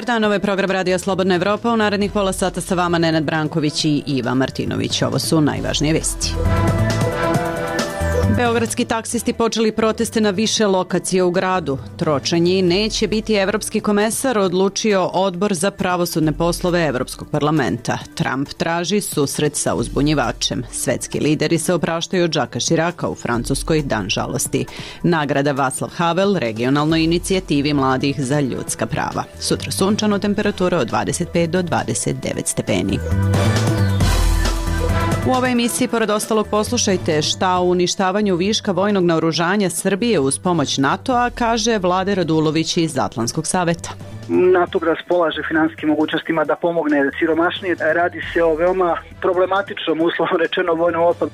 dan, ovo je program Radija Slobodna Evropa. U narednih pola sata sa vama Nenad Branković i Iva Martinović. Ovo su najvažnije vesti. Beogradski taksisti počeli proteste na više lokacija u gradu. Tročanji neće biti evropski komesar, odlučio Odbor za pravosudne poslove Evropskog parlamenta. Trump traži susret sa uzbunjivačem. Svetski lideri se opraštaju od Jacquesa Chiraca u Francuskoj, dan žalosti. Nagrada Václav Havel regionalnoj inicijativi mladih za ljudska prava. Sutra sunčano, temperatura od 25 do 29 stepeni. U ovoj emisiji, pored ostalog, poslušajte šta o uništavanju viška vojnog naoružanja Srbije uz pomoć NATO-a kaže Vlade Radulović iz Atlantskog saveta. NATO raspolaže finansijskim mogućnostima da pomogne siromašnije. Radi se o veoma problematičnom, uslovno rečeno, vojnom otpadu.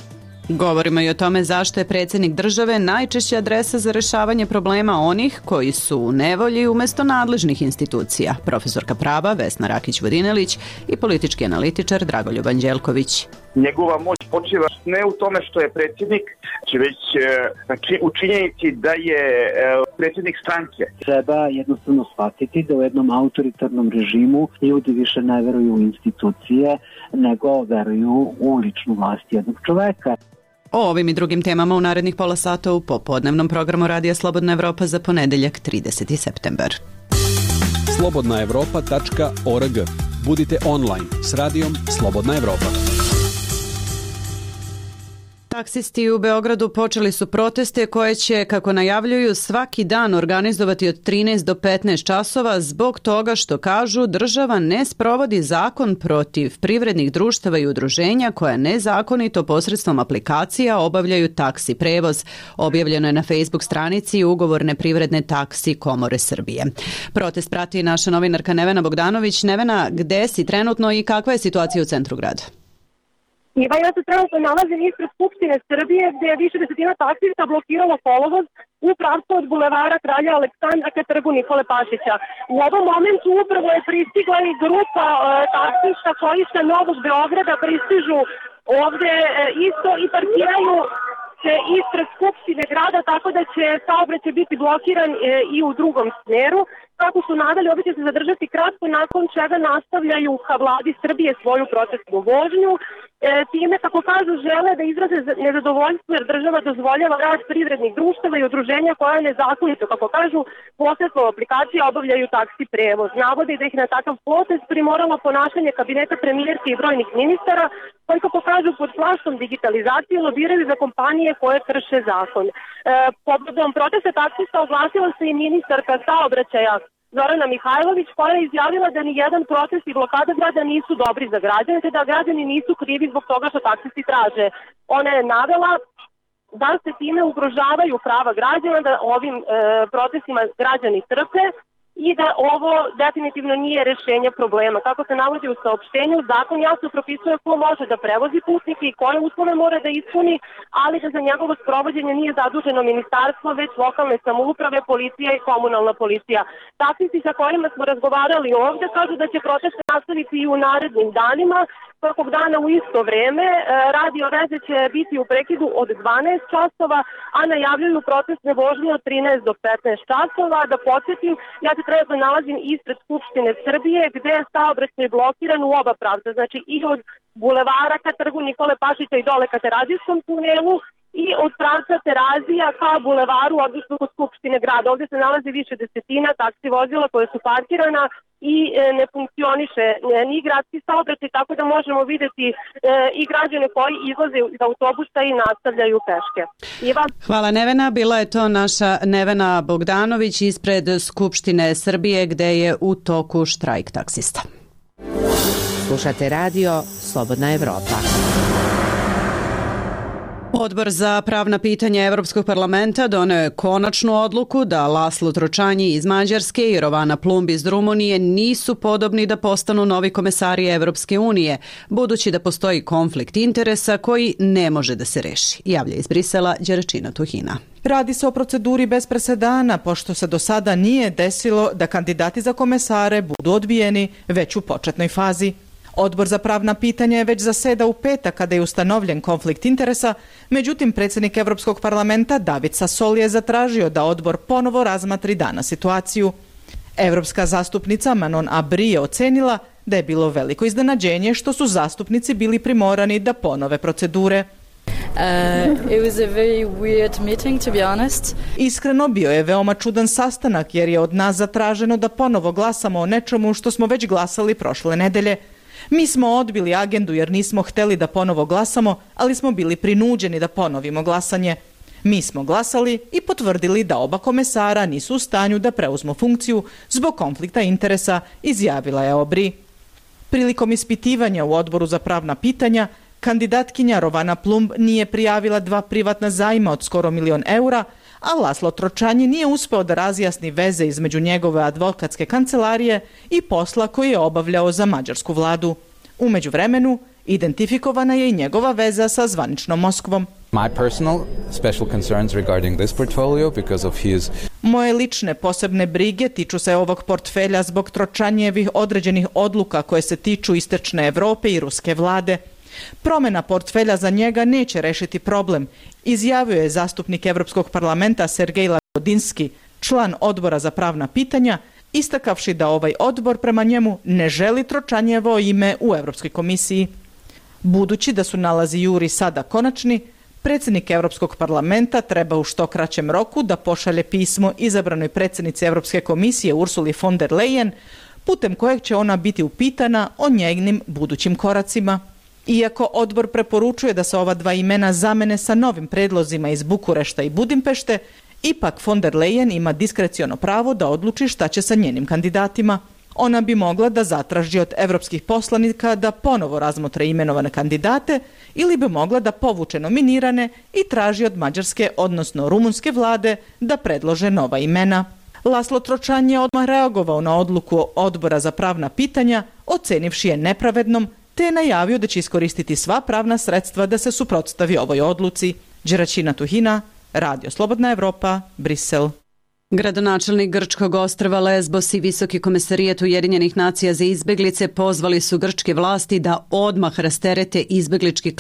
Govorimo i o tome zašto je predsjednik države najčešća adresa za rešavanje problema onih koji su u nevolji umjesto nadležnih institucija. Profesorka prava Vesna Rakić-Vodinelić i politički analitičar Dragoljub Anđelković. Njegova moć počiva ne u tome što je predsjednik, već u činjenici da je predsjednik stranke. Treba jednostavno shvatiti da u jednom autoritarnom režimu ljudi više ne veruju u institucije, nego veruju u ličnu vlast jednog čoveka. O ovim i drugim temama u narednih pola sata u popodnevnom programu Radija Slobodna Evropa za ponedeljak 30. septembar. slobodnaevropa.org. Budite online s radijom Slobodna Evropa. Taksisti u Beogradu počeli su proteste koje će, kako najavljuju, svaki dan organizovati od 13 do 15 časova zbog toga što, kažu, država ne sprovodi zakon protiv privrednih društava i udruženja koja nezakonito posredstvom aplikacija obavljaju taksi prevoz. Objavljeno je na Facebook stranici ugovorne privredne taksi Komore Srbije. Protest prati naša novinarka Nevena Bogdanović. Nevena, gde si trenutno i kakva je situacija u centru grada? Iva, ja se trenutno nalazim ispred Skupštine Srbije gdje je više desetina taksista blokiralo kolovoz u pravcu od bulevara Kralja Aleksandra ka trgu Nikole Pašića. U ovom momentu upravo je pristigla i grupa taksista koji sa Novog Beograda pristižu ovdje isto i parkiraju se ispred Skupštine grada, tako da će saobraćaj biti blokiran i u drugom smjeru. Kako su nadali, ovdje će se zadržati kratko, nakon čega nastavljaju ka vladi Srbije svoju protestnu vožnju. Time, kako kažu, žele da izraze nezadovoljstvo jer država dozvoljava rad privrednih društava i udruženja koja nezakonito, kako kažu, posredstvom aplikacije obavljaju taksi prevoz. Navode da ih na takav potez primoralo ponašanje kabineta premijerke i brojnih ministara koji, kako kažu, pod plaštom digitalizacije lobiraju za kompanije koje krše zakon. Povodom protesta taksista oglasila se i ministarka saobraćaja Zorana Mihajlović, koja je izjavila da ni jedan protest i blokada grada nisu dobri za građane, te da građani nisu krivi zbog toga što taksisti traže. Ona je navela da se time ugrožavaju prava građana, da ovim protestima građani trpe i da ovo definitivno nije rješenje problema. Kako se navodi u saopštenju, zakon jasno propisuje ko može da prevozi putnike i koje uslove mora da ispuni, ali da za njegovo sprovođenje nije zaduženo ministarstvo, već lokalne samouprave, policija i komunalna policija. Taksisti sa kojima smo razgovarali ovdje kažu da će proteste nastaviti i u narednim danima, svakog dana u isto vreme. Radio veze će biti u prekidu od 12 časova, a najavljuju protestne vožnje od 13 do 15 časova. Da podsjetim, ja se trenutno nalazim ispred Skupštine Srbije gdje je saobraćaj blokiran u oba pravca, znači i od bulevara ka trgu Nikole Pašića i dole ka Terazijskom tunelu i od pravca Terazija ka bulevaru, odnosno kod Skupštine grada. Ovdje se nalazi više desetina taksi vozila koje su parkirana i ne funkcioniše ni gradski saobraćaj, tako da možemo vidjeti i građane koji izlaze iz autobusa i nastavljaju peške. Iva? Hvala, Nevena. Bila je to naša Nevena Bogdanović ispred Skupštine Srbije gde je u toku štrajk taksista. Slušate radio Slobodna Evropa. Odbor za pravna pitanja Evropskog parlamenta doneo je konačnu odluku da Laslo Tročanji iz Mađarske i Rovana Plumb iz Rumunije nisu podobni da postanu novi komesari Evropske unije, budući da postoji konflikt interesa koji ne može da se reši, javlja iz Brisela Đeračina Tuhina. Radi se o proceduri bez presedana, pošto se do sada nije desilo da kandidati za komesare budu odbijeni već u početnoj fazi. Odbor za pravna pitanja je već zasedao u petak kada je ustanovljen konflikt interesa, međutim predsjednik Evropskog parlamenta David Sassoli je zatražio da odbor ponovo razmatri danas situaciju. Evropska zastupnica Manon Aubry je ocenila da je bilo veliko iznenađenje što su zastupnici bili primorani da ponove procedure. It was a very weird meeting, to be honest. Iskreno, bio je veoma čudan sastanak jer je od nas zatraženo da ponovo glasamo o nečemu što smo već glasali prošle nedelje. Mi smo odbili agendu jer nismo hteli da ponovo glasamo, ali smo bili prinuđeni da ponovimo glasanje. Mi smo glasali i potvrdili da oba komesara nisu u stanju da preuzmu funkciju zbog konflikta interesa, izjavila je Aubry. Prilikom ispitivanja u Odboru za pravna pitanja, kandidatkinja Rovana Plumb nije prijavila 2 privatna zajma od skoro $1 milion, a Laslo Tročanji nije uspeo da razjasni veze između njegove advokatske kancelarije i posla koji je obavljao za mađarsku vladu. U međuvremenu, identifikovana je i njegova veza sa zvaničnom Moskvom. Moje lične posebne brige tiču se ovog portfelja zbog Tročanjevih određenih odluka koje se tiču istočne Evrope i ruske vlade. Promjena portfelja za njega neće rešiti problem, izjavio je zastupnik Evropskog parlamenta Sergej Lagodinsky, član Odbora za pravna pitanja, istakavši da ovaj odbor prema njemu ne želi Tročanjevo ime u Evropskoj komisiji. Budući da su nalazi juri sada konačni, predsjednik Evropskog parlamenta treba u što kraćem roku da pošalje pismo izabranoj predsjednici Evropske komisije Ursuli von der Leyen, putem kojeg će ona biti upitana o njenim budućim koracima. Iako odbor preporučuje da se ova 2 imena zamene sa novim predlozima iz Bukurešta i Budimpešte, ipak von der Leyen ima diskreciono pravo da odluči šta će sa njenim kandidatima. Ona bi mogla da zatraži od evropskih poslanika da ponovo razmotre imenovane kandidate ili bi mogla da povuče nominirane i traži od mađarske, odnosno rumunske vlade da predlože nova imena. Laslo Tročanji je odmah reagovao na odluku Odbora za pravna pitanja, ocenivši je nepravednom, te je najavio da će iskoristiti sva pravna sredstva da se suprotstavi ovoj odluci. Đeraćina Tuhina, Radio Slobodna Evropa, Brisel. Gradonačelnik grčkog ostrva Lesbos i Visoki komesarijat Ujedinjenih nacija za izbeglice pozvali su grčke vlasti da odmah rasterete izbeglički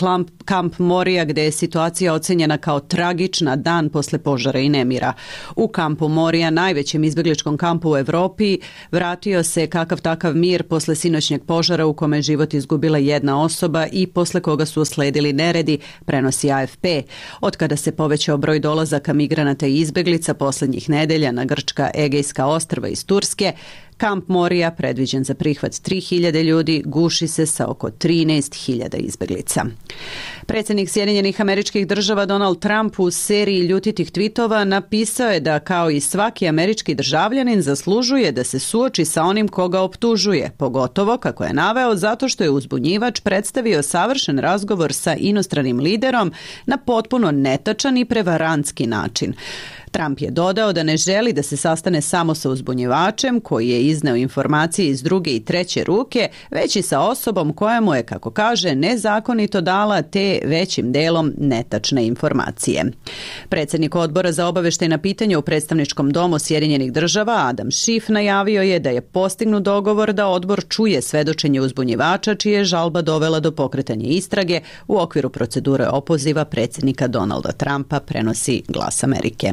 kamp Morija, gde je situacija ocenjena kao tragična dan posle požara i nemira. U kampu Morija, najvećem izbegličkom kampu u Evropi, vratio se kakav takav mir posle sinoćnjeg požara u kome je život izgubila jedna osoba i posle koga su usledili neredi, prenosi AFP. Od kada se povećao broj dolazaka migranata i izbeglica poslednjih nedelja na grčka Egejska ostrva iz Turske, kamp Morija, predviđen za prihvat 3.000 ljudi, guši se sa oko 13.000 izbeglica. Predsjednik Sjedinjenih Američkih Država Donald Trump u seriji ljutitih tvitova napisao je da kao i svaki američki državljanin zaslužuje da se suoči sa onim koga optužuje, pogotovo, kako je naveo, zato što je uzbunjivač predstavio savršen razgovor sa inostranim liderom na potpuno netačan i prevarantski način. Trump je dodao da ne želi da se sastane samo sa uzbunjivačem koji je izneo informacije iz druge i treće ruke, već i sa osobom koja mu je, kako kaže, nezakonito dala te većim delom netačne informacije. Predsjednik Odbora za obaveštajna pitanja u Predstavničkom domu Sjedinjenih Država Adam Schiff najavio je da je postignut dogovor da odbor čuje svedočenje uzbunjivača čija je žalba dovela do pokretanja istrage u okviru procedure opoziva predsjednika Donalda Trumpa, prenosi Glas Amerike.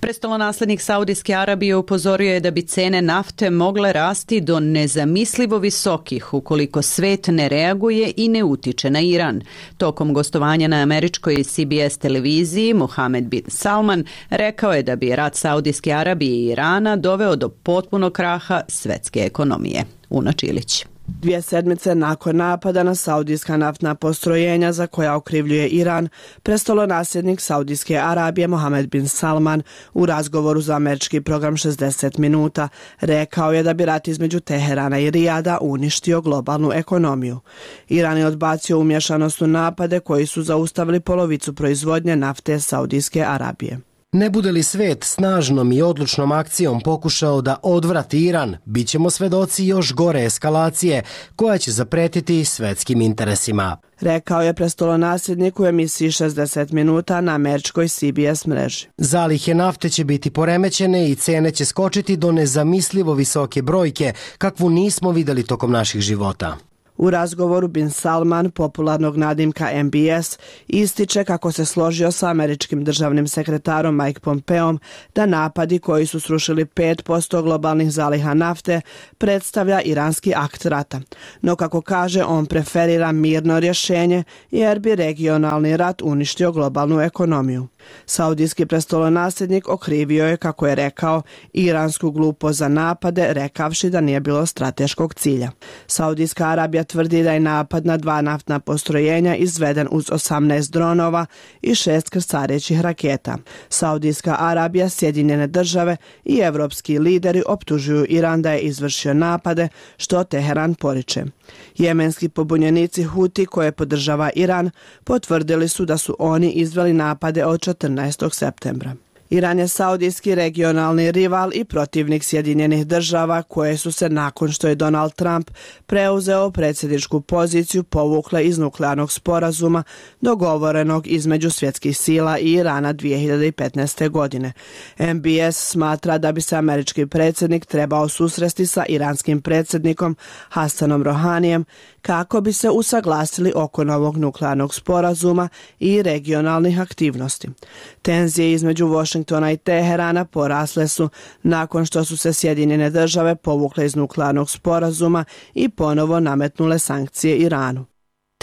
Prestolonaslednik Saudijske Arabije upozorio je da bi cene nafte mogle rasti do nezamislivo visokih ukoliko svet ne reaguje i ne utiče na Iran. Tokom gostovanja na američkoj CBS televiziji Mohamed bin Salman rekao je da bi rat Saudijske Arabije i Irana doveo do potpunog kraha svetske ekonomije. Una Čilić. 2 sedmice nakon napada na saudijska naftna postrojenja za koja okrivljuje Iran, prestolonasljednik Saudijske Arabije Mohamed bin Salman u razgovoru za američki program 60 minuta rekao je da bi rat između Teherana i Rijada uništio globalnu ekonomiju. Iran je odbacio umješanost u napade koji su zaustavili polovicu proizvodnje nafte Saudijske Arabije. Ne bude li svet snažnom i odlučnom akcijom pokušao da odvrati Iran, bit ćemo svedoci još gore eskalacije koja će zapretiti svetskim interesima, rekao je prestolonasljednik u emisiji 60 minuta na američkoj CBS mreži. Zalihe nafte će biti poremećene i cene će skočiti do nezamislivo visoke brojke kakvu nismo videli tokom naših života. U razgovoru Bin Salman, popularnog nadimka MBS, ističe kako se složio sa američkim državnim sekretarom Mike Pompeom da napadi koji su srušili 5% globalnih zaliha nafte predstavlja iranski akt rata. No kako kaže, on preferira mirno rješenje jer bi regionalni rat uništio globalnu ekonomiju. Saudijski prestolonasljednik okrivio je, kako je rekao, iransku glupost za napade, rekavši da nije bilo strateškog cilja. Saudijska Arabija tvrdi da je napad na 2 naftna postrojenja izveden uz 18 dronova i 6 krstarećih raketa. Saudijska Arabija, Sjedinjene države i evropski lideri optužuju Iran da je izvršio napade, što Teheran poriče. Jemenski pobunjenici Huti, koje podržava Iran, potvrdili su da su oni izveli napade od 14. septembra. Iran je saudijski regionalni rival i protivnik Sjedinjenih država, koje su se nakon što je Donald Trump preuzeo predsjedničku poziciju povukle iz nuklearnog sporazuma dogovorenog između svjetskih sila i Irana 2015. godine. MBS smatra da bi se američki predsjednik trebao susresti sa iranskim predsjednikom Hassanom Rohanijem kako bi se usaglasili oko novog nuklearnog sporazuma i regionalnih aktivnosti. Tenzije između Washingtona i Teherana porasle su nakon što su se Sjedinjene države povukle iz nuklearnog sporazuma i ponovo nametnule sankcije Iranu.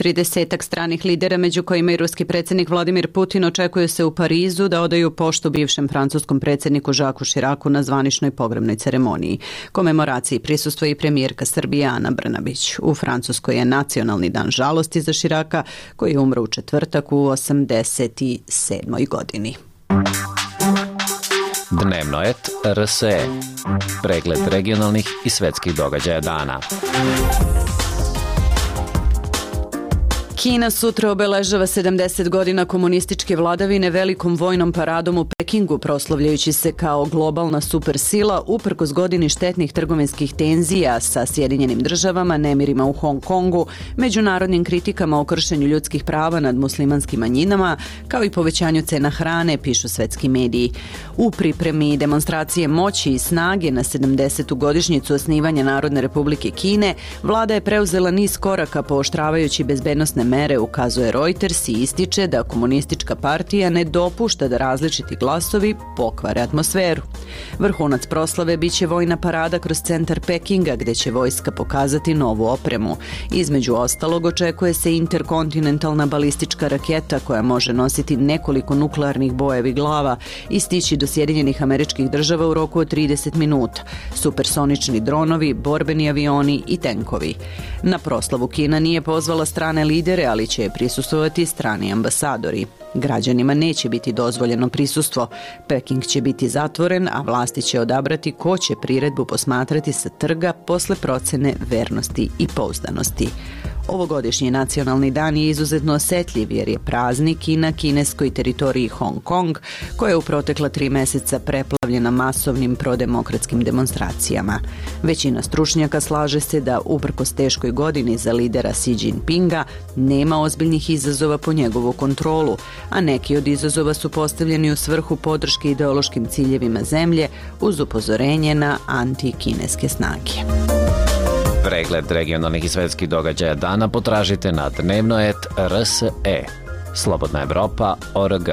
30 stranih lidera, među kojima i ruski predsjednik Vladimir Putin, očekuje se u Parizu da odaju poštu bivšem francuskom predsjedniku Jacques Chiracu na zvaničnoj pogrebnoj ceremoniji. Komemoraciji prisustvuje i premijerka Srbije Ana Brnabić. U Francuskoj je nacionalni dan žalosti za Chiraca, koji je umro u četvrtak u 87. godini. Dnevnoet RSE. Pregled regionalnih i svetskih događaja dana. Kina sutra obeležava 70 godina komunističke vladavine velikom vojnom paradom u Pekingu, proslavljajući se kao globalna supersila uprkos godini štetnih trgovinskih tenzija sa Sjedinjenim državama, nemirima u Hong Kongu, međunarodnim kritikama o kršenju ljudskih prava nad muslimanskim manjinama, kao i povećanju cena hrane, pišu svetski mediji. U pripremi demonstracije moći i snage na 70. godišnjicu osnivanja Narodne republike Kine, vlada je preuzela niz koraka pooštravajući bezbednosne mere, ukazuje Reuters, i ističe da komunistička partija ne dopušta da različiti glasovi pokvare atmosferu. Vrhunac proslave biće vojna parada kroz centar Pekinga, gde će vojska pokazati novu opremu. Između ostalog, očekuje se interkontinentalna balistička raketa koja može nositi nekoliko nuklearnih bojevih glava i stići do Sjedinjenih Američkih Država u roku od 30 minuta, supersonični dronovi, borbeni avioni i tenkovi. Na proslavu Kina nije pozvala strane lidere, ali će prisustvovati strani ambasadori. Građanima neće biti dozvoljeno prisustvo. Peking će biti zatvoren, a vlasti će odabrati ko će priredbu posmatrati sa trga posle procene vernosti i pouzdanosti. Ovogodišnji nacionalni dan je izuzetno osetljiv jer je praznik i na kineskoj teritoriji Hong Kong, koja je u protekla 3 meseca preplavljena masovnim prodemokratskim demonstracijama. Većina stručnjaka slaže se da uprkos teškoj godini za lidera Xi Jinpinga nema ozbiljnih izazova po njegovu kontrolu, a neki od izazova su postavljeni u svrhu podrške ideološkim ciljevima zemlje uz upozorenje na anti-kineske snage. Pregled regionalnih i svetskih događaja dana potražite na Dnevnoet RSE. Slobodna Evropa.org.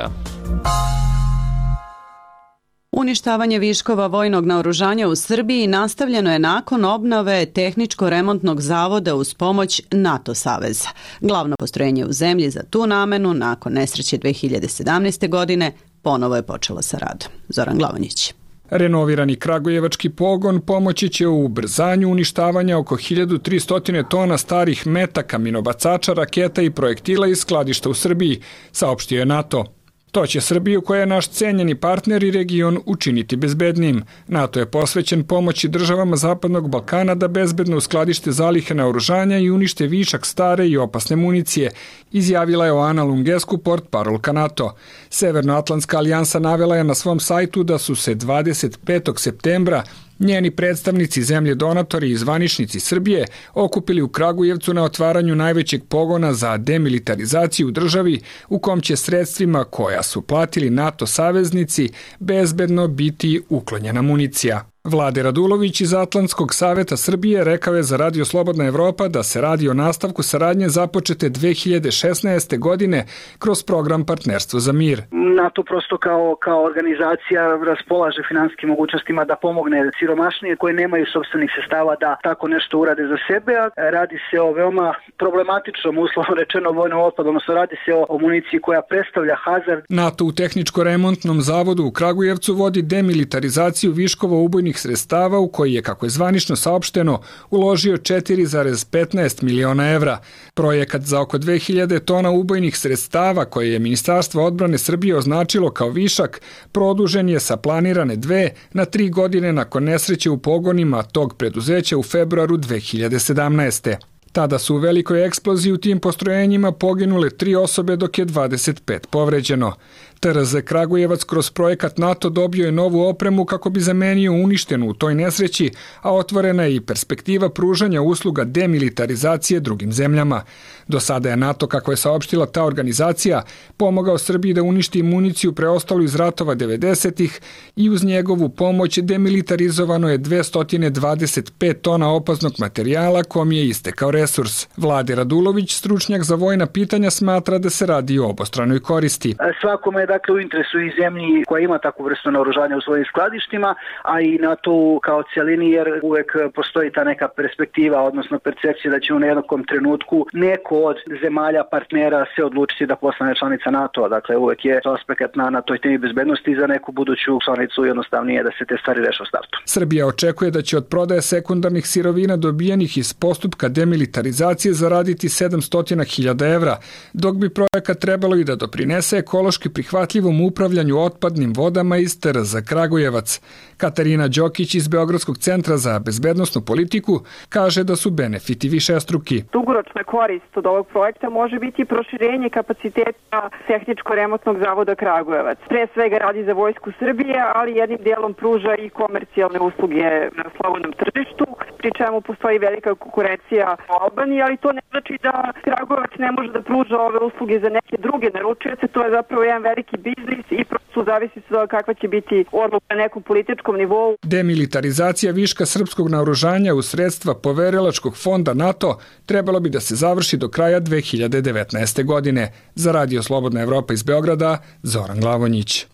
Uništavanje viškova vojnog naoružanja u Srbiji nastavljeno je nakon obnove tehničko-remontnog zavoda uz pomoć NATO saveza. Glavno postrojenje u zemlji za tu namenu nakon nesreće 2017. godine ponovo je počelo sa radom. Zoran Glavonjić. Renovirani kragujevački pogon pomoći će u ubrzanju uništavanja oko 1300 tona starih metaka, minobacača, raketa i projektila iz skladišta u Srbiji, saopštio je NATO. To će Srbiju, koja je naš cenjeni partner i region, učiniti bezbednijim. NATO je posvećen pomoći državama Zapadnog Balkana da bezbedno uskladište zalihe naoružanja i unište višak stare i opasne municije, izjavila je Oana Lungescu, portparolka NATO. Severnoatlantska alijansa navela je na svom sajtu da su se 25. septembra njeni predstavnici, zemlje donatori i zvaničnici Srbije okupili u Kragujevcu na otvaranju najvećeg pogona za demilitarizaciju u državi, u kom će sredstvima koja su platili NATO saveznici bezbedno biti uklonjena municija. Vlade Radulović iz Atlantskog saveta Srbije rekao je za Radio Slobodna Evropa da se radi o nastavku saradnje započete 2016. godine kroz program Partnerstvo za mir. NATO prosto kao organizacija raspolaže finansijskim mogućnostima da pomogne siromašnije koje nemaju sopstvenih sredstava da tako nešto urade za sebe. Radi se o veoma problematičnom, uslovno rečeno, vojnom otpadu, odnosno radi se o municiji koja predstavlja hazard. NATO u tehničko-remontnom zavodu u Kragujevcu vodi demilitarizaciju viškova ubojnih sredstava u koji je, kako je zvanično saopšteno, uložio 4,15 miliona evra. Projekat za oko 2000 tona ubojnih sredstava koje je Ministarstvo odbrane Srbije označilo kao višak, produžen je sa planirane 2 na 3 godine nakon nesreće u pogonima tog preduzeća u februaru 2017. Tada su u velikoj eksploziji u tim postrojenjima poginule 3 osobe dok je 25 povređeno. TRZ Kragujevac kroz projekat NATO dobio je novu opremu kako bi zamenio uništenu u toj nesreći, a otvorena je i perspektiva pružanja usluga demilitarizacije drugim zemljama. Do sada je NATO, kako je saopštila ta organizacija, pomogao Srbiji da uništi municiju preostalu iz ratova 90-ih i uz njegovu pomoć demilitarizovano je 225 tona opasnog materijala kom je istekao resurs. Vlade Radulović, stručnjak za vojna pitanja, smatra da se radi o obostranoj koristi. Svakome je dakle u interesu i zemlji koja ima takvu vrstu naoružanja u svojim skladištima, a i NATO kao cijelini, jer uvek postoji ta neka perspektiva, odnosno percepcija da će u nekom trenutku neko od zemalja partnera se odlučiti da postane članica NATO-a. Dakle, uvek je aspekt na toj temi bezbednosti za neku buduću članicu jednostavnije da se te stvari reše u startu. Srbija očekuje da će od prodaje sekundarnih sirovina dobijenih iz postupka demilitarizacije zaraditi 700.000 evra, dok bi projekat trebalo i da doprinese ekološki prihvatljivom upravljanju otpadnim vodama iz TRZ Kragujevac. Katarina Đokić iz Beogradskog centra za bezbednosnu politiku kaže da su benefiti višestruki. Dugoročna korist od ovog projekta može biti proširenje kapaciteta tehničko-remontnog zavoda Kragujevac. Pre svega radi za Vojsku Srbije, ali jednim dijelom pruža i komercijalne usluge na slobodnom tržištu, pri čemu postoji velika konkurencija u Albaniji, ali to ne znači da Kragujevac ne može da pruža ove usluge za neke druge naručioce. To je zapravo jedan veliki biznis i prosto zavisi se od kakva će biti odluka na nekom političkom nivou. Demilitarizacija viška srpskog naoružanja u sredstva poverilačkog fonda NATO trebalo bi da se završi do kraja 2019. godine. Za Radio Slobodna Evropa iz Beograda, Zoran Glavonjić.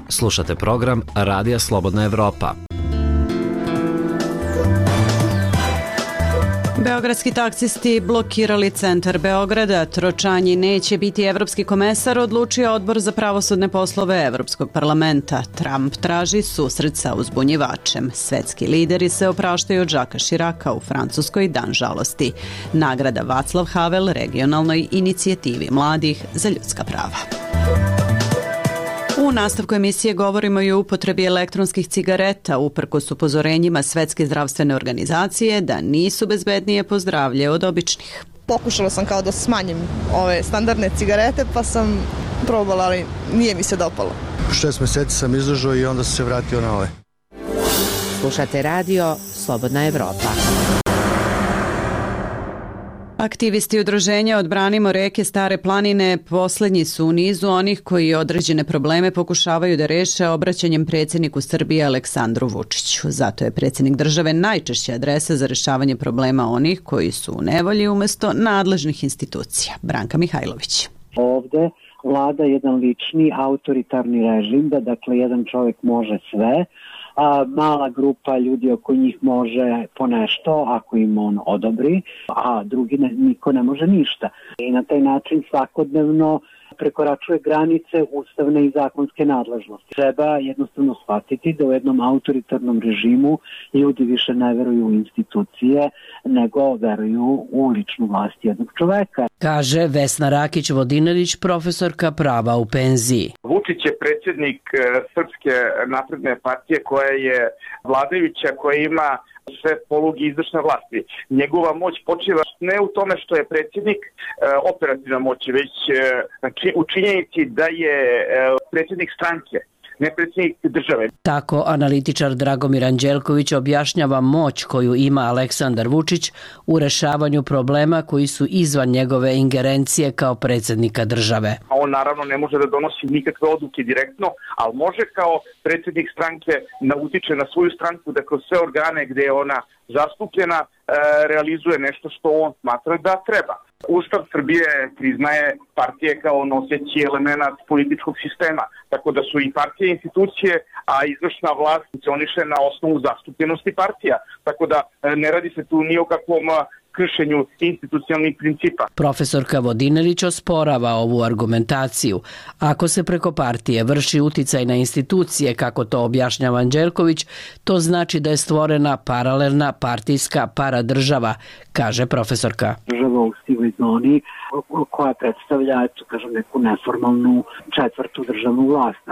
Slušate program Radija Slobodna Evropa. Beogradski taksisti blokirali centar Beograda. Tročanji neće biti evropski komesar, odlučio Odbor za pravosudne poslove Evropskog parlamenta. Trump traži susret sa uzbunjivačem. Svetski lideri se opraštaju od Žaka Širaka u Francuskoj dan žalosti. Nagrada Václav Havel regionalnoj inicijativi mladih za ljudska prava. U nastavku emisije govorimo i o upotrebi elektronskih cigareta uprkos upozorenjima Svetske zdravstvene organizacije da nisu bezbednije po zdravlje od običnih. Pokušala sam kao da smanjim ove standardne cigarete pa sam probala, ali nije mi se dopalo. 6 meseci sam izdržao i onda sam se vratio na ove. Slušate radio Slobodna Evropa. Aktivisti udruženja Odbranimo reke Stare planine poslednji su u nizu onih koji određene probleme pokušavaju da reše obraćanjem predsjedniku Srbije Aleksandru Vučiću. Zato je predsjednik države najčešća adresa za rešavanje problema onih koji su u nevolji umjesto nadležnih institucija. Branka Mihajlović. Ovde vlada jedan lični autoritarni režim da dakle jedan čovjek može sve, a mala grupa ljudi oko njih može po nešto ako im on odobri, a drugi niko ne može ništa. I na taj način svakodnevno prekoračuje granice ustavne i zakonske nadležnosti. Treba jednostavno shvatiti da u jednom autoritarnom režimu ljudi više ne veruju u institucije, nego veruju u ličnu vlast jednog čoveka. Kaže Vesna Rakić-Vodinelić, profesorka prava u penziji. Vučić je predsjednik Srpske napredne partije koja je vladajuća, koja ima sve poluge izvršne vlasti. Njegova moć počiva ne u tome što je predsjednik operativna moć, već u činjenici da je predsjednik stranke. ne predsjednik države. Tako analitičar Dragomir Anđelković objašnjava moć koju ima Aleksandar Vučić u rešavanju problema koji su izvan njegove ingerencije kao predsjednika države. On naravno ne može da donosi nikakve odluke direktno, ali može kao predsjednik stranke da utiče na svoju stranku da kroz sve organe gde je ona zastupljena realizuje nešto što on smatra da treba. Ustav Srbije priznaje partije kao noseći element političkog sistema, tako da su i partije institucije, a izvršna vlast funkcioniše na osnovu zastupljenosti partija, tako da ne radi se tu ni o kakvom kršenju institucionalnih principa. Profesorka Vodinelić osporava ovu argumentaciju. Ako se preko partije vrši uticaj na institucije, kako to objašnjava Anđelković, to znači da je stvorena paralelna partijska paradržava, kaže profesorka. Država u sivoj zoni koja predstavlja, kažem, neku neformalnu četvrtu državnu vlast.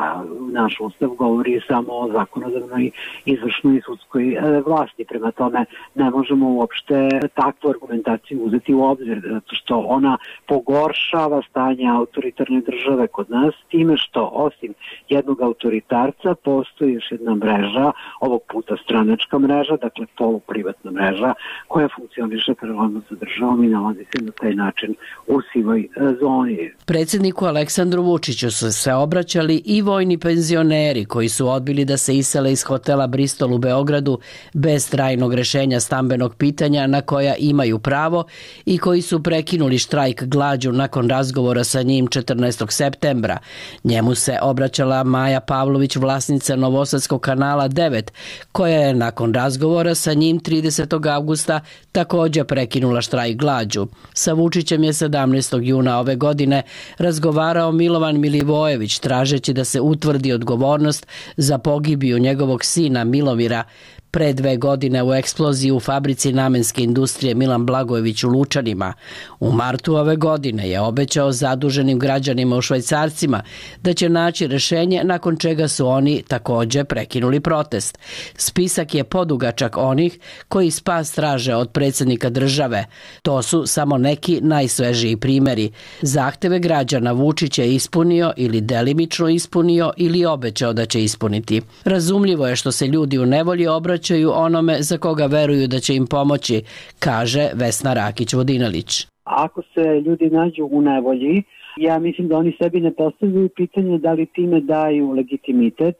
Naš ustav govori samo o zakonodavnoj, izvršnoj i sudskoj vlasti. Prema tome ne možemo uopšte takvu argumentaciju uzeti u obzir, zato što ona pogoršava stanje autoritarne države kod nas time što osim jednog autoritarca postoji još jedna mreža, ovog puta stranačka mreža, dakle poluprivatna mreža koja funkcioniše paralelno sa državom i nalazi se na taj način u sivoj zoni. Predsjedniku Aleksandru Vučiću su se obraćali i vojni penzioneri koji su odbili da se isele iz hotela Bristol u Beogradu bez trajnog rešenja stambenog pitanja na koja imaju pravo i koji su prekinuli štrajk glađu nakon razgovora sa njim 14. septembra. Njemu se obraćala Maja Pavlović, vlasnica Novosadskog kanala 9, koja je nakon razgovora sa njim 30. avgusta također prekinula štrajk glađu. Sa Vučićem je 17. juna ove godine razgovarao Milovan Milivojević tražeći da se utvrdi odgovornost za pogibiju njegovog sina Milomira pre 2 godine u eksploziji u fabrici namenske industrije Milan Blagojević u Lučanima. U martu ove godine je obećao zaduženim građanima u Švajcarcima da će naći rešenje, nakon čega su oni također prekinuli protest. Spisak je podugačak onih koji spas traže od predsjednika države. To su samo neki najsvežiji primjeri. Zahteve građana Vučić je ispunio ili delimično ispunio ili obećao da će ispuniti. Razumljivo je što se ljudi u nevolji obraćaju onome za koga veruju da će im pomoći, kaže Vesna Rakić-Vodinelić. Ako se ljudi nađu u nevolji, ja mislim da oni sebi ne postavljaju pitanje da li time daju legitimitet,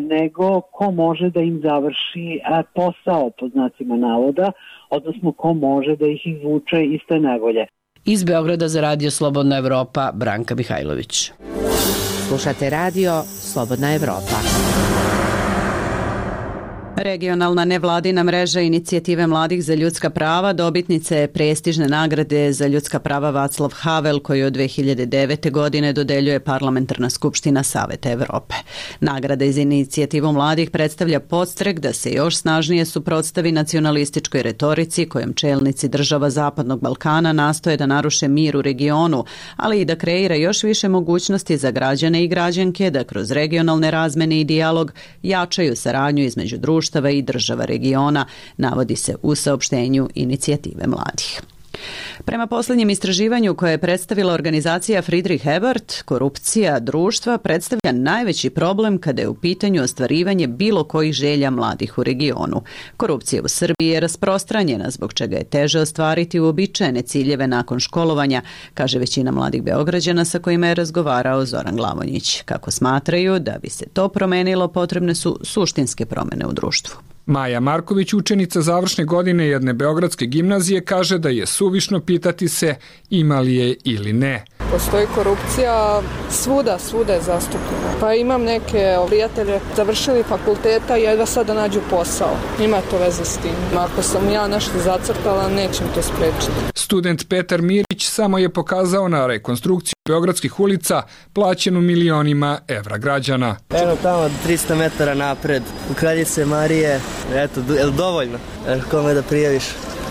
nego ko može da im završi posao, pod znacima navoda, odnosno ko može da ih izvuče iz te nevolje. Iz Beograda za Radio Slobodna Evropa, Branka Mihajlović. Slušate Radio Slobodna Evropa. Regionalna nevladina mreža Inicijative mladih za ljudska prava dobitnica je prestižne nagrade za ljudska prava Václav Havel koju od 2009. godine dodeljuje Parlamentarna skupština Saveta Evrope. Nagrada iz Inicijativu mladih predstavlja podstrek da se još snažnije suprotstavi nacionalističkoj retorici kojom čelnici država Zapadnog Balkana nastoje da naruše mir u regionu, ali i da kreira još više mogućnosti za građane i građanke da kroz regionalne razmene i dijalog jačaju saradnju između društva i država regiona, navodi se u saopštenju Inicijative mladih. Prema posljednjem istraživanju koje je predstavila organizacija Friedrich Ebert, korupcija društva predstavlja najveći problem kada je u pitanju ostvarivanje bilo kojih želja mladih u regionu. Korupcija u Srbiji je rasprostranjena, zbog čega je teže ostvariti uobičajene ciljeve nakon školovanja, kaže većina mladih Beograđana sa kojima je razgovarao Zoran Glavonjić. Kako smatraju, da bi se to promenilo, potrebne su suštinske promjene u društvu. Maja Marković, učenica završne godine jedne beogradske gimnazije, kaže da je suvišno pitati se ima li je ili ne. Postoji korupcija svuda je zastupljena. Pa imam neke prijatelje, završili fakulteta i jedva sad da nađu posao. Ima to veze s tim. Ako sam ja nešto zacrtala, nećem to sprečiti. Student Petar Mirić samo je pokazao na rekonstrukciju beogradskih ulica plaćenu milionima evra građana. Eno tamo 300 metara napred, u Kraljice Marije, eto, je li dovoljno? Kome da prijaviš?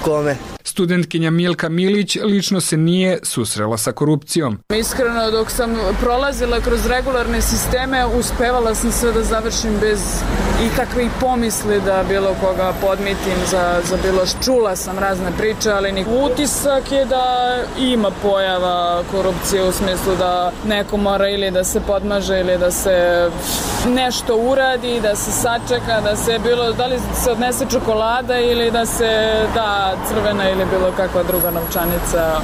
Kome? Studentkinja Milka Milić lično se nije susrela sa korupcijom. Iskreno, dok sam prolazila kroz regularne sisteme, uspevala sam sve da završim bez ikakvih pomisli da bilo koga podmitim za bilo čula sam razne priče, ali utisak je da ima pojava korupcije u smislu da neko mora ili da se podmaže ili da se nešto uradi, da se sačeka, da se da li se odnese čokolada ili da se da crvena ili bilo kakva druga novčanica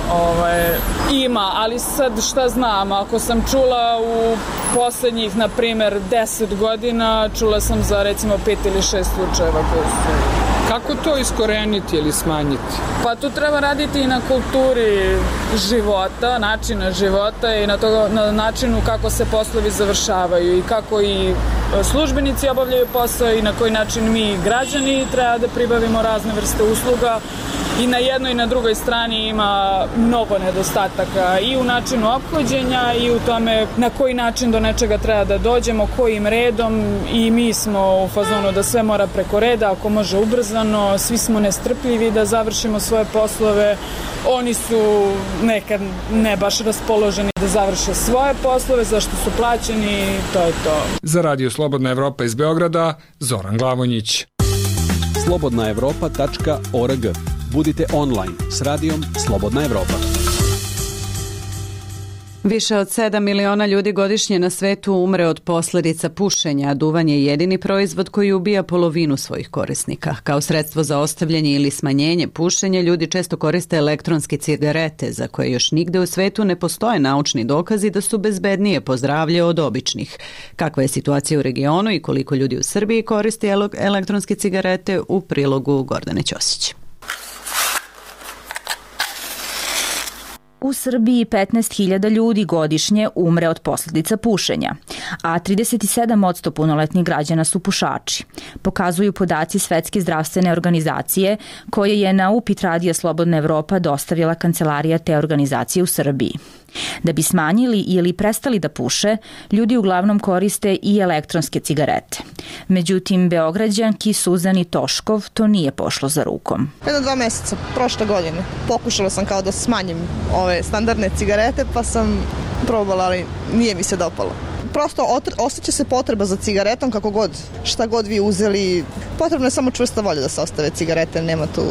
ima, ali sad šta znam, ako sam čula u poslednjih, na primer, 10 godina, čula sam za recimo 5 ili 6 slučajeva koji su. Kako to iskoreniti ili smanjiti? Pa tu treba raditi i na kulturi života, načina života i na načinu kako se poslovi završavaju i kako i službenici obavljaju posao i na koji način mi građani treba da pribavimo razne vrste usluga. I na jednoj i na drugoj strani ima mnogo nedostataka i u načinu ophođenja i u tome na koji način do nečega treba da dođemo, kojim redom, i mi smo u fazonu da sve mora preko reda, ako može ubrzano, svi smo nestrpljivi da završimo svoje poslove, oni su nekad ne baš raspoloženi da završe svoje poslove, zašto su plaćeni, to je to. Za Radio Slobodna Evropa iz Beograda, Zoran Glavonjić. slobodnaevropa.org. Budite online s radijom Slobodna Evropa. Više od 7 miliona ljudi godišnje na svetu umre od posljedica pušenja, a duvan je jedini proizvod koji ubija polovinu svojih korisnika. Kao sredstvo za ostavljanje ili smanjenje pušenja, ljudi često koriste elektronske cigarete, za koje još nigde u svetu ne postoje naučni dokazi da su bezbednije po zdravlje od običnih. Kakva je situacija u regionu i koliko ljudi u Srbiji koristi elektronske cigarete, u prilogu Gordane Ćosić. U Srbiji 15.000 ljudi godišnje umre od posljedica pušenja, a 37% punoletnih građana su pušači. Pokazuju podaci Svetske zdravstvene organizacije, koje je na upit Radija Slobodna Evropa dostavila kancelarija te organizacije u Srbiji. Da bi smanjili ili prestali da puše, ljudi uglavnom koriste i elektronske cigarete. Međutim, Beograđanki Suzani Toškov to nije pošlo za rukom. 1-2 meseca prošle godine pokušala sam kao da smanjim ove standardne cigarete, pa sam probala, ali nije mi se dopalo. Prosto osjeća se potreba za cigaretom kako god, šta god vi uzeli. Potrebno je samo čvrsta volja da se ostave cigarete, nema tu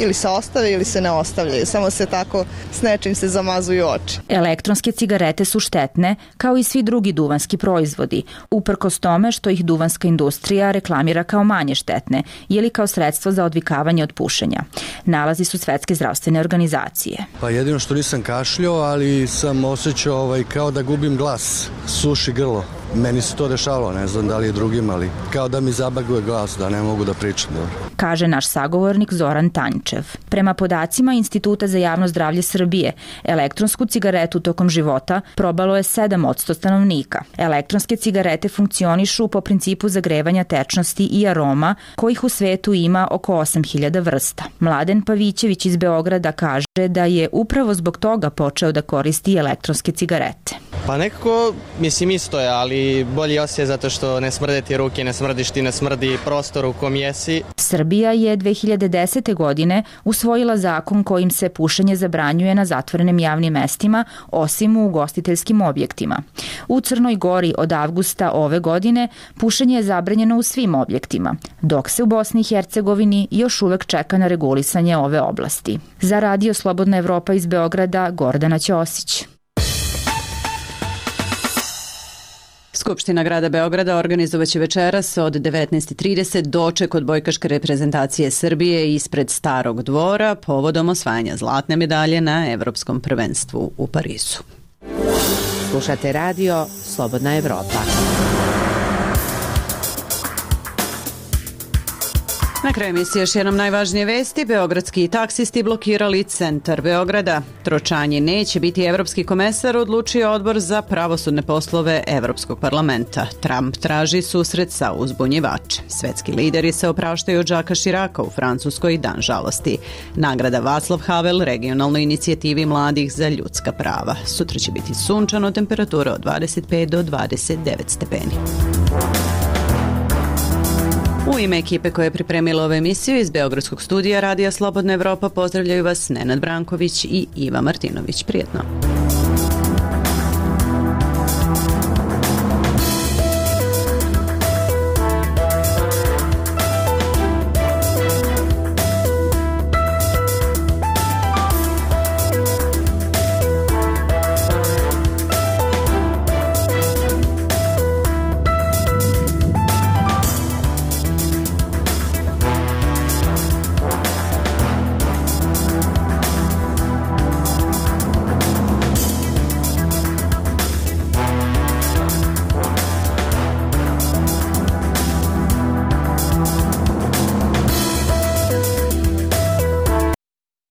ili se ostave ili se ne ostavljaju, samo se tako s nečim se zamazuju oči. Elektronske cigarete su štetne, kao i svi drugi duvanski proizvodi, uprkos tome što ih duvanska industrija reklamira kao manje štetne ili kao sredstvo za odvikavanje od pušenja. Nalazi su Svetske zdravstvene organizacije. Pa jedino što nisam kašljao, ali sam osjećao kao da gubim glas, suši grlo. Meni se to dešavalo, ne znam da li je drugim, ali kao da mi zabaguje glas, da ne mogu da pričam dobro. Kaže naš sagovornik Zoran Tanjčev. Prema podacima Instituta za javno zdravlje Srbije, elektronsku cigaretu tokom života probalo je 7% stanovnika. Elektronske cigarete funkcionišu po principu zagrevanja tečnosti i aroma, kojih u svetu ima oko 8.000 vrsta. Mladen Pavićević iz Beograda kaže da je upravo zbog toga počeo da koristi elektronske cigarete. Pa nekako, mislim isto je, ali bolji osjećaj zato što ne smrde ti ruke, ne smrdiš ti, ne smrdi prostor u kom jesi. Srbija je 2010. godine usvojila zakon kojim se pušenje zabranjuje na zatvorenim javnim mestima, osim u ugostiteljskim objektima. U Crnoj Gori od avgusta ove godine pušenje je zabranjeno u svim objektima, dok se u Bosni i Hercegovini još uvek čeka na regulisanje ove oblasti. Za Radio Slobodna Evropa iz Beograda, Gordana Ćosić. Skupština grada Beograda organizovaće večeras od 19:30 doček odbojkaške reprezentacije Srbije ispred Starog dvora povodom osvajanja zlatne medalje na Evropskom prvenstvu u Parizu. Slušate radio Slobodna Evropa. Na kraju emisije još jednom najvažnije vesti. Beogradski taksisti blokirali centar Beograda. Tročanje neće biti evropski komesar, odlučio odbor za pravosudne poslove Evropskog parlamenta. Trump traži susret sa uzbunjivačem. Svetski lideri se opraštaju od Žaka Širaka u Francuskoj dan žalosti. Nagrada Václav Havel regionalnoj inicijativi mladih za ljudska prava. Sutra će biti sunčano, temperatura od 25 do 29 stepeni. U ime ekipe koja je pripremila ovu emisiju iz Beogradskog studija Radija Slobodna Evropa pozdravljaju vas Nenad Branković i Iva Martinović. Prijetno.